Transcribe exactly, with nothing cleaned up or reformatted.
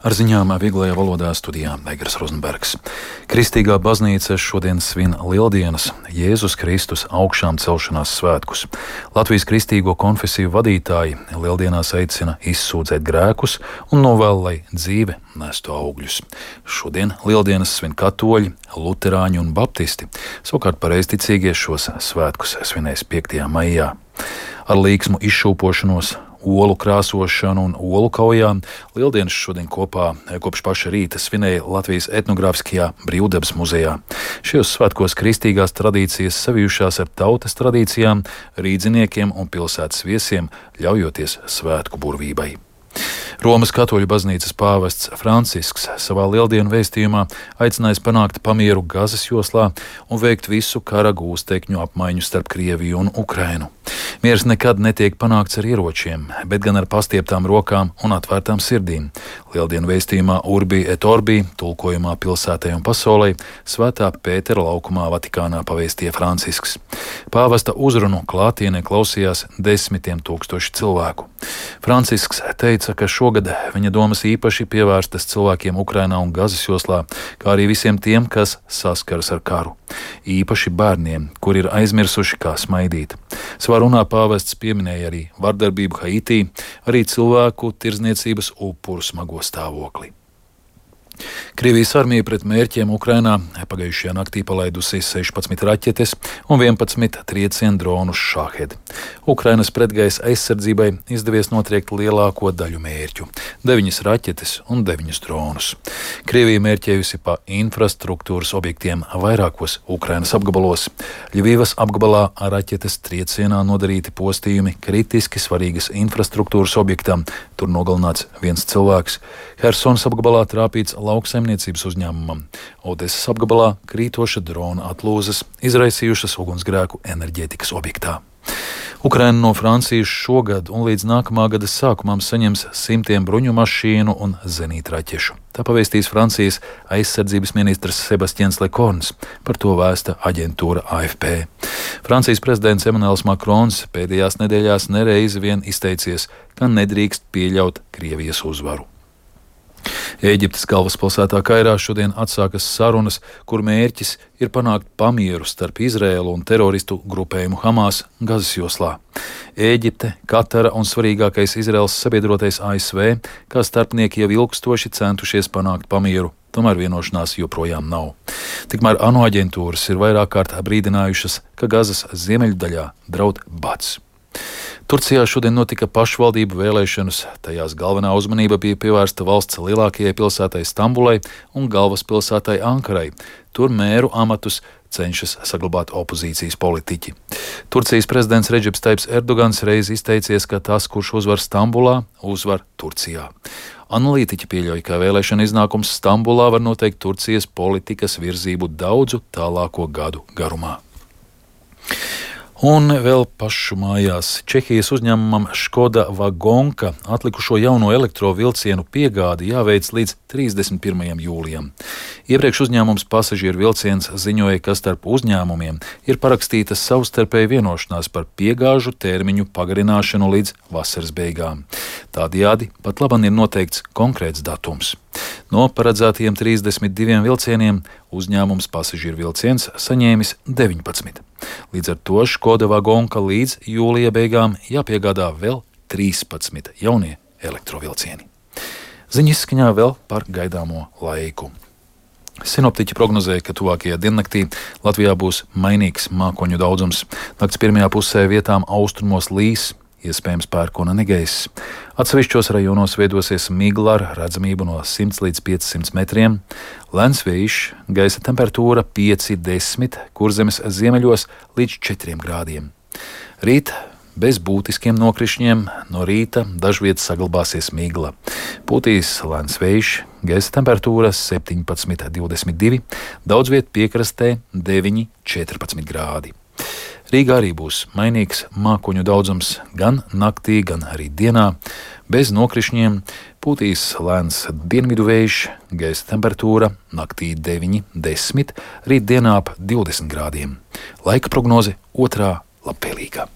Ar ziņām vieglajā valodā studijā Egers Rozenbergs. Kristīgā baznīca šodien svin Lieldienas, Jēzus Kristus augšām celšanās svētkus. Latvijas kristīgo konfesiju vadītāji Lieldienās aicina izsūdzēt grēkus un novēl, lai dzīve nestu augļus. Šodien Lieldienas svin katoļi, luterāņi un baptisti. Savukārt pareizticīgie šos svētkus svinēs piektajā maijā. Ar līksmu izšūpošanos, olu krāsošanu un olu kaujām Lieldienas šodien kopā kopš paša rīta svinēja Latvijas etnogrāfiskajā Brīvdabas muzejā. Šajos svētkos kristīgās tradīcijas savijušās ar tautas tradīcijām, rīdziniekiem un pilsētas viesiem, ļaujoties svētku burvībai. Romas katoļu baznīcas pāvests Francisks savā Lieldienu vēstījumā aicinājis panākt pamieru Gazas joslā un veikt visu kara gūstekņu apmaiņu starp Krieviju un Ukrainu. Miers nekad netiek panākts ar ieročiem, bet gan ar pastieptām rokām un atvērtām sirdīm. Lieldienu vēstījumā Urbi et Orbi, tulkojumā pilsētai un pasaulei, Svētā Pētera laukumā Vatikānā pavēstīja Francisks. Pāvesta uzrunu klātienē klausījās desmitiem tūkstoši cilvēku. Francisks teica, ka šogad viņa domas īpaši pievērstas cilvēkiem Ukrainā un Gazas joslā, kā arī visiem tiem, kas saskaras ar karu. Īpaši bērniem, kuri ir aizmirsuši, kā smaidīt. Savā runā pāvests pieminēja arī vardarbību Haitī, arī cilvēku tirdzniecības upuru smago stāvokli. Krievijas armija pret mērķiem Ukrainā pagājušajā naktī palaidusi sešpadsmit raķetes un vienpadsmit triecienu dronus Šahed. Ukrainas pretgaisa aizsardzībai izdevies notriekt lielāko daļu mērķu – deviņas raķetes un deviņus dronus. Krievija mērķējusi pa infrastruktūras objektiem vairākos Ukrainas apgabalos. Ļivivas apgabalā ar raķetes triecienā nodarīti postījumi kritiski svarīgas infrastruktūras objektam. Tur nogalināts viens cilvēks. Hersonas apgabalā trāpīts lauksaimniecības uzņēmumam. Odesas apgabalā krītoša drona atlūzas izraisījušas ugunsgrēku enerģētikas objektā. Ukraina no Francijas šogad un līdz nākamā gada sākumam saņems simtiem bruņu mašīnu un zenītraķešu. Tā pavēstīs Francijas aizsardzības ministrs Sebastians Lecorns, par to vēsta aģentūra A F P. Francijas prezidents Emmanuels Macrons pēdējās nedēļās nereizi vien izteicies, ka nedrīkst pieļaut Krievijas uzvaru. Ēģiptes galvaspilsētā Kairā šodien atsākas sarunas, kur mērķis ir panākt pamieru starp Izraēlu un teroristu grupējumu Hamas Gazas joslā. Ēģipte, Katara un svarīgākais Izraēlas sabiedrotais A S V, kā starpnieki jau ilgstoši centušies panākt pamieru, tomēr vienošanās joprojām nav. Tikmēr ANO aģentūras ir vairāk kārt brīdinājušas, ka Gazas ziemeļdaļā draud bats. Turcijā šodien notika pašvaldību vēlēšanas, tajās galvenā uzmanība bija pievērsta valsts lielākajai pilsētai Stambulai un galvaspilsētai Ankarai. Tur mēru amatus cenšas saglabāt opozīcijas politiķi. Turcijas prezidents Redžeps Taips Erdogans reiz izteicies, ka tas, kurš uzvar Stambulā, uzvar Turcijā. Analītiķi pieļauj, ka vēlēšana iznākums Stambulā var noteikt Turcijas politikas virzību daudzu tālāko gadu garumā. Un vēl pašu mājās Čehijas uzņēmumam Škoda Vagonka atlikušo jauno elektrovilcienu piegādi jāveic līdz trīsdesmit pirmajam jūlijam. Iepriekš uzņēmums Pasažieru vilciens ziņoja, ka starp uzņēmumiem ir parakstīta savstarpēja vienošanās par piegāžu termiņu pagarināšanu līdz vasaras beigām. Tādējādi pat labam ir noteikts konkrēts datums. No paredzētajiem trīsdesmit diviem vilcieniem uzņēmums Pasažieru vilciens saņēmis deviņpadsmit. Līdz ar to Škoda Vagonka līdz jūlija beigām jāpiegādā vēl trīspadsmit jaunie elektrovilcieni. Ziņas izskaņā vēl par gaidāmo laiku. Sinoptiķi prognozēja, ka tuvākajā diennaktī Latvijā būs mainīgs mākoņu daudzums. Nakts pirmajā pusē vietām austrumos līs, iespējams pērkona negaiss. Atsevišķos rajonos veidosies migla ar redzamību no simts līdz piecsimt metriem. Lēns vējš, gaisa temperatūra pieci desmit, Kurzemes ziemeļos līdz četriem grādiem. Rīt bez būtiskiem nokrišņiem, no rīta dažviet saglabāsies migla. Pūtīs lēns vējš, gaisa temperatūra septiņpadsmit divdesmit divi, daudz viet piekrastē deviņi četrpadsmit grādi. Rīgā arī būs mainīgs mākoņu daudzums gan naktī, gan arī dienā. Bez nokrišņiem pūtīs lēns dienvidu vējš, gaisa temperatūra naktī deviņi desmit, rīt dienā ap divdesmit grādiem. Laika prognoze otrā labvēlīgā.